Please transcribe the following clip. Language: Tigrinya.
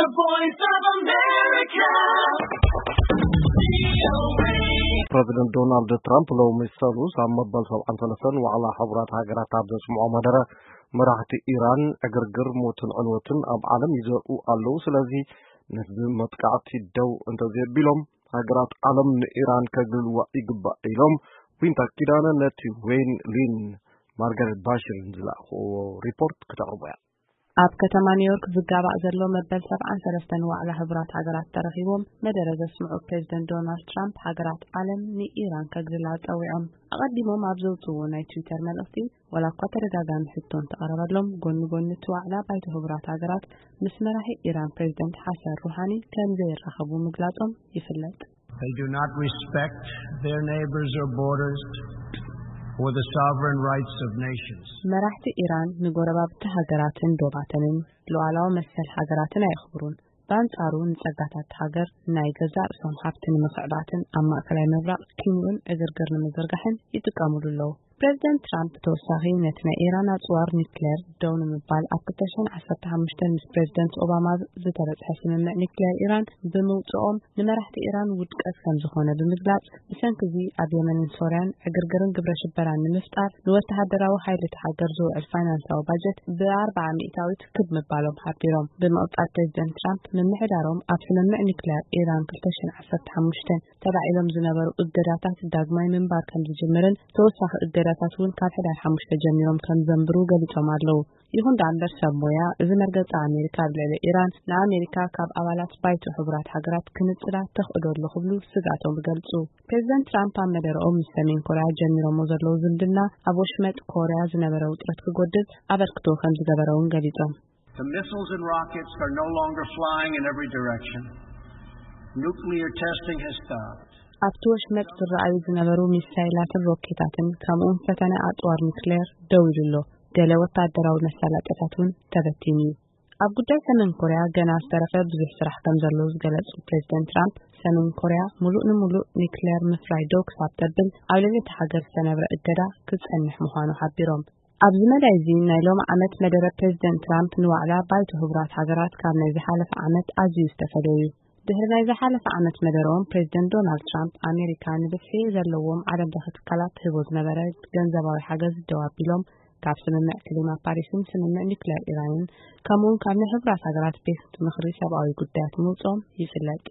The Voice of America. ፕረዚደንት ዶናልድ ትራምፕ ሎሚ ሰሉስ ኣብ መበል ሰብዓን ሰለስተን ዋዕላ ሕቡራት ሃገራት ኣብ ዘስምዖ መደረ፣ መራሕቲ ኢራን ዕግርግር፣ ሞትን ዕንወትን ኣብ ዓለም ይዘርኡ ኣለዉ። ስለዚ ነዚ መጥቃዕቲ ደው እንተዘየቢሎም፣ ሃገራት ዓለም ንኢራን ከግልልዋ ይግባእ ኢሎም። ዊንታ ኪዳነ ነቲ ዌይን ሊን ማርጋሬት ባሽርን ዝለኣኽዎ ሪፖርት ክተቕርቦ እያ። ኣብ ከተማ ኒውዮርክ ዝጋባእ ዘሎ መበል ሰብዓን ሰለስተን ዋዕላ ሕቡራት ሃገራት ተረኺቦም መደረ ዘስምዑ ፕሬዚደንት ዶናልድ ትራምፕ፣ ሃገራት ዓለም ንኢራን ከግልላ ጸዊዖም። ኣቐዲሞም ኣብ ዘውፅዎ ናይ ትዊተር መልእኽቲ፣ ዋላ እኳ ተደጋጋሚ ሕቶ እንተቐረበሎም፣ ጎኒ ጎኒ እቲ ዋዕላ ባይቶ ሕቡራት ሃገራት ምስ መራሒ ኢራን ፕሬዚደንት ሓሰን ሩሃኒ ከም ዘይራኸቡ ምግላጾም ይፍለጥ። They do not respect their neighbors or borders or the sovereign rights of nations. መራሕቲ ኢራን ንጎረባብቲ ሃገራትን ዶባተንን ሉዓላዊ መሰል ሃገራትን ኣየኽብሩን። ብኣንጻሩ፣ ንጸጋታት ሃገር፣ ናይ ገዛእ ርእሶም ሃብቲ ንምኽዕባትን ኣብ ማእከላይ ምብራቕ ኪንኡን ዕግርግር ንምዝርጋሕን ይጥቀሙሉ ኣለዉ። ፕሬዚደንት ትራምፕ ብተወሳኺ፣ ነቲ ናይ ኢራን ኣጽዋር ኒክሌር ደው ንምባል ኣብ ክልተ ሽሕን ዓሰርተ ሓሙሽተን ምስ ፕሬዚደንት ኦባማ ዝተበጽሐ ስምምዕ ኒክሌር ኢራን ብምውጽኦም፣ ንመራሕቲ ኢራን ውድቀት ከም ዝኾነ ብምግላጽ፣ ብሰንኪ እዚ ኣብ የመንን ሶርያን ዕግርግርን ግብረ ሽበራን ንምፍጣር ንወተሃደራዊ ሓይሊ እቲ ሃገር ዝውዕል ፋይናንሳዊ ባጀት ብኣርብዓ ሚእታዊት ክብ ምባሎም ሓቢሮም። ብምቕጻል ፕሬዚደንት ትራምፕ ምምሕዳሮም ኣብ ስምምዕ ኒክሌር ኢራን ክልተ ሽሕን ዓሰርተ ሓሙሽተን ተባዒሎም ዝነበሩ እገዳታት ዳግማይ ምንባር ከም ዝጅምርን ተወሳኺ እገዳታት እውን ካብ ሕዳር ሓሙሽተ ጀሚሮም ከም ዘንብሩ ገሊጾም ኣለዉ። ይኹን ደኣ እምበር ሰብ ሞያ፣ እዚ መርገጺ ኣሜሪካ ኣብ ልዕሊ ኢራን ንኣሜሪካ ካብ ኣባላት ባይቶ ሕቡራት ሃገራት ክንጽላ ተኽእዶ ኣሎ ክብሉ ስግኣቶም ይገልጹ። ፕሬዚደንት ትራምፕ ኣብ መደረኦም ምስ ሰሜን ኮርያ ጀሚሮሞ ዘለዉ ዝምድና ኣብ ወሽመጥ ኮርያ ዝነበረ ውጥረት ክጎድል ኣበርክቶ ከም ዝገበረ እውን ገሊጾም። The missiles and rockets are no longer flying in every direction. Nuclear testing has stopped. ኣብቲ ወሽመጥ ዝረኣዩ ዝነበሩ ሚሳይላትን ሮኬታትን ከምኡውን ፈተነ ኣጽዋር ኒክሌር ደው ኢሉ ኣሎ። ገለ ወታደራዊ መሳለጥያታት እውን ተበቲኑ እዩ። ኣብ ጉዳይ ሰሜን ኮርያ ገና ዝተረፈ ብዙሕ ስራሕ ከም ዘሎ ዝገለጹ ፕሬዚደንት ትራምፕ፣ ሰሜን ኮርያ ሙሉእ ንሙሉእ ኒክሌር ምፍራይ ደው ክሳብ ተብል ኣብ ልዕሊ እታ ሃገር ዝተነብረ እገዳ ክጸንሕ ምዃኑ ሓቢሮም። ኣብዚ መዳይ እዚ ናይ ሎሚ ዓመት መደረ ፕሬዚደንት ትራምፕ ንዋዕላ ባይቶ ሕቡራት ሃገራት ካብ ናይ ዝሓለፈ ዓመት ኣዝዩ ዝተፈለየ እዩ። ድሕሪ ናይ ዝሓለፈ ዓመት መደረኦም ፕሬዚደንት ዶናልድ ትራምፕ ኣሜሪካ ንብዝሒ ዘለዎም ዓለም ለኸ ትካላት ትህቦ ዝነበረ ገንዘባዊ ሓገዝ ደው ኣቢሎም ካብ ስምምዕ ክሊማ ፓሪስን ስምምዕ ኒክሌር ኢራንን ከምኡውን ካብ ናይ ሕቡራት ሃገራት ቤት ምኽሪ ሰብኣዊ ጉዳያት ምውፅኦም ይፍለጥ።